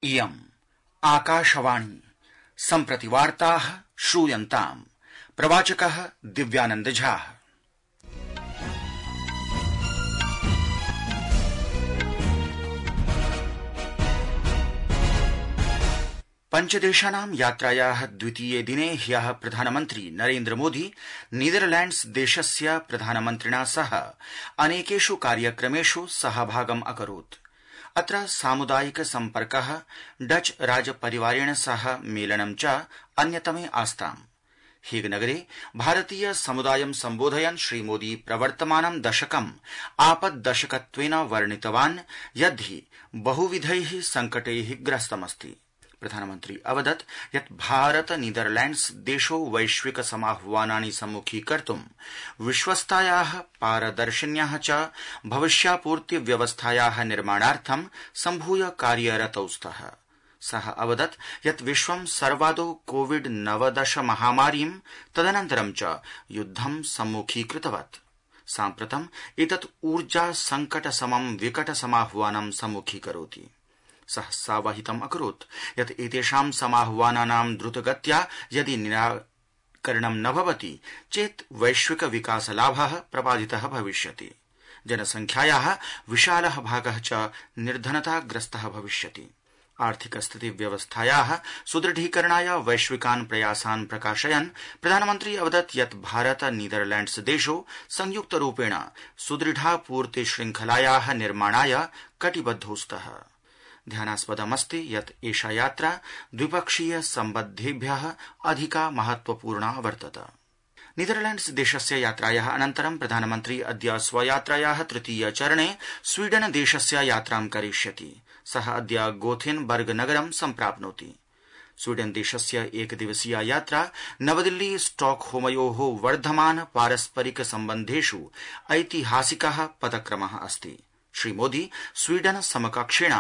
इयम् आकाशवाणी सम्प्रति वार्ताः श्रूयन्ताम्। प्रवाचकः दिव्यानंद झा। पंचदेशानां यात्रायाः द्वितीये दिने ह्यः प्रधानमन्त्री नरेन्द्र मोदी नीदरलैंड्स देशस्य प्रधानमन्त्रिणा सह अनेकेषु कार्यक्रमेषु सहभागम् अकरोत्। अत्र सामुदायिक सम्पर्कः, डच राजपरिवारेण सह मेलनं च अन्यतमे आस्ताम्। हेगनगरे भारतीय समुदायं सम्बोधयन् श्रीमोदी प्रवर्तमानं दशकम् आपद्दशकत्वेन वर्णितवान् यद्धि बहुविधैः संकटैः ग्रस्तमस्ति। प्रधानमन्त्री अवदत् यत् भारत नीदरलैंड्स देशौ वैश्विक समाह्वानानि सम्मुखीकर्तुं विश्वस्तायाः, पारदर्शिन्याः च भविष्यापूर्ति व्यवस्थायाः निर्माणार्थं सम्भूय कार्यरतौ स्तः। सः अवदत् यत् विश्वं सर्वादौ कोविड-19 महामारीं तदनन्तरं च युद्धं सम्मुखीकृतवत्। साम्प्रतम् एतत् ऊर्जा संकट समं विकट समाह्वानं सम्मुखीकरोति। सः सावहितम् अकरोत् यत् एतेषां समाह्वानानां द्रुतगत्या यदि निराकरणं न भवति चेत् वैश्विक विकासलाभः प्रबाधितः भविष्यति। जनसंख्यायाः विशालः भागः च निर्धनताग्रस्तः भविष्यति। आर्थिक स्थिति व्यवस्थायाः सुदृढीकरणाय वैश्विकान् प्रयासान् प्रकाशयन् प्रधानमन्त्री अवदत् यत् भारत नीदरलैंड्स देशौ संयुक्तरूपेण सुदृढापूर्ति श्रृंखलायाः निर्माणाय कटिबद्धौ स्तः। ध्यानास्पदमस्ति यत् एषा यात्रा द्विपक्षीय सम्बद्धेभ्यः अधिका महत्वपूर्णा वर्तत। नीदरलैंड्स देशस्य यात्रायाः अनन्तरं प्रधानमन्त्री अद्य स्वयात्रायाः तृतीय चरणे स्वीडन देशस्य यात्रां करिष्यति। सः अद्य गोथेनबर्ग नगरं सम्प्राप्नोति। स्वीडन देशस्य एकदिवसीया यात्रा नवदिल्ली स्टॉकहोमयोः वर्धमान पारस्परिक सम्बन्धेषु ऐतिहासिकः पदक्रमः अस्ति। श्रीमोदी स्वीडन समकक्षेण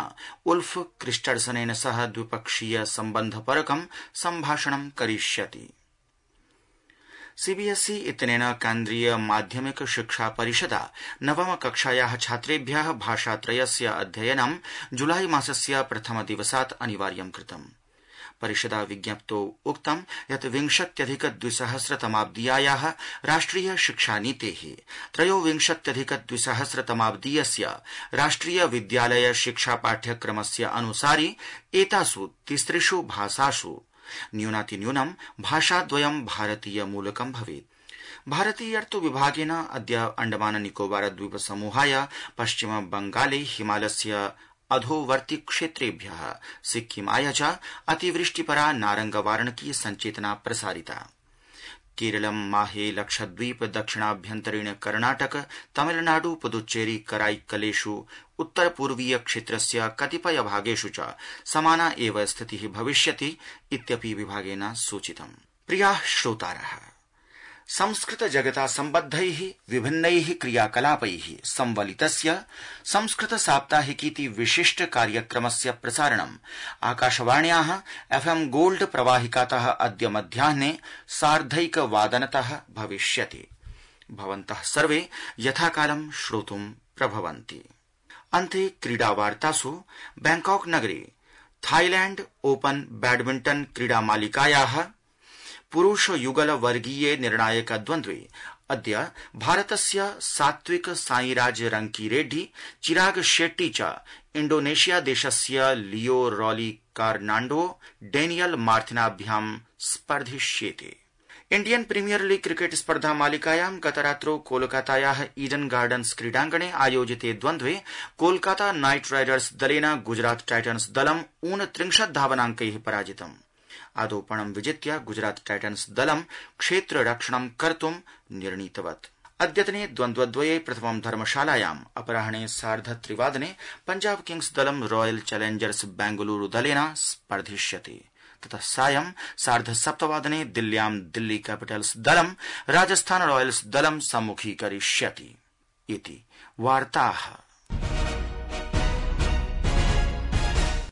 उल्फ क्रिस्टर्सनेन सह द्विपक्षीय सम्बन्धपरकं सम्भाषणं करिष्यति। सीबीएसई इत्यनेन केन्द्रीय माध्यमिक शिक्षा परिषदा नवम कक्षायाः छात्रेभ्यः भाषात्रयस्य अध्ययनं जुलाई मासस्य प्रथम दिवसात् अनिवार्यं कृतम्। परिषदा विज्ञप्तौ उक्तं यत् 20-2000 राष्ट्रिय शिक्षानीतेः 23-2000 राष्ट्रिय विद्यालय शिक्षा पाठ्यक्रमस्य अनुसारि एतासु तिसृषु भाषासु न्यूनातिन्यूनं भाषाद्वयं भारतीय मूलकं भवेत्। भारतीयर्तु विभागेन अद्य अंडमान निकोबार द्वीप समूहाय पश्चिम बंगाले हिमालयस्य अधोवर्ति क्षेत्रेभ्यः सिक्किमाय च अतिवृष्टिपरा नारंगवारणकीय संचेतना प्रसारिता। केरलं, माहे, लक्षद्वीप, दक्षिणाभ्यन्तरीण कर्णाटक, तमिलनाडु, पुदुच्चेरी, कराईकलेषु उत्तर पूर्वीय क्षेत्रस्य कतिपय भागेषु च समाना एव स्थितिः भविष्यति इत्यपि विभागेन सूचितम्। प्रियाः श्रोतारः, संस्कृत जगता सम्बद्धैः विभिन्नैः क्रियाकलापैः संवलितस्य संस्कृत साप्ताहिकीति विशिष्ट कार्यक्रमस्य प्रसारणम् आकाशवाण्याः FM गोल्ड प्रवाहिकातः अद्य मध्याह्ने 1:30 भविष्यति। भवन्तः सर्वे यथाकालं श्रोतुं प्रभवन्ति। अन्ते क्रीडावार्तासु बैंकॉक नगरे थाईलैंड ओपन बैडमिंटन क्रीडामालिकायाः पुरुष युगल वर्गीये निर्णायक द्वन्द्वे अद्य भारतस्य सात्विक साईराज रंकीरेड्डी, चिराग शेट्टी च इंडोनेशिया देशस्य लियो रॉली कार्नांडो डेनियल मार्थिनाभ्यां स्पर्धिष्येते। इंडियन प्रीमियर लीग क्रिकेट स्पर्धा मालिकायां गतरात्रौ कोलकातायाः ईडन गार्डन्स क्रीडाङ्गणे आयोजिते द्वन्द्वे कोलकाता नाइट राइडर्स दलेन गुजरात टाइटन्स दलं 29 धावनाङ्कैः पराजितम्। आदोपणं विजित्य गुजरात टाइटन्स दलं क्षेत्ररक्षणं कर्तुं निर्णीतवत्। अद्यतने द्वन्द्वद्वये प्रथमं धर्मशालायाम् अपराह्ने 3:30 पंजाब किंग्स दलं रॉयल चैलेंजर्स बेंगलुरु दलेन स्पर्धिष्यति। ततः सायं 7:30 दिल्ल्यां दिल्ली कैपिटल्स दलं राजस्थान रॉयल्स दलं सम्मुखीकरिष्यति। इति वार्ताः।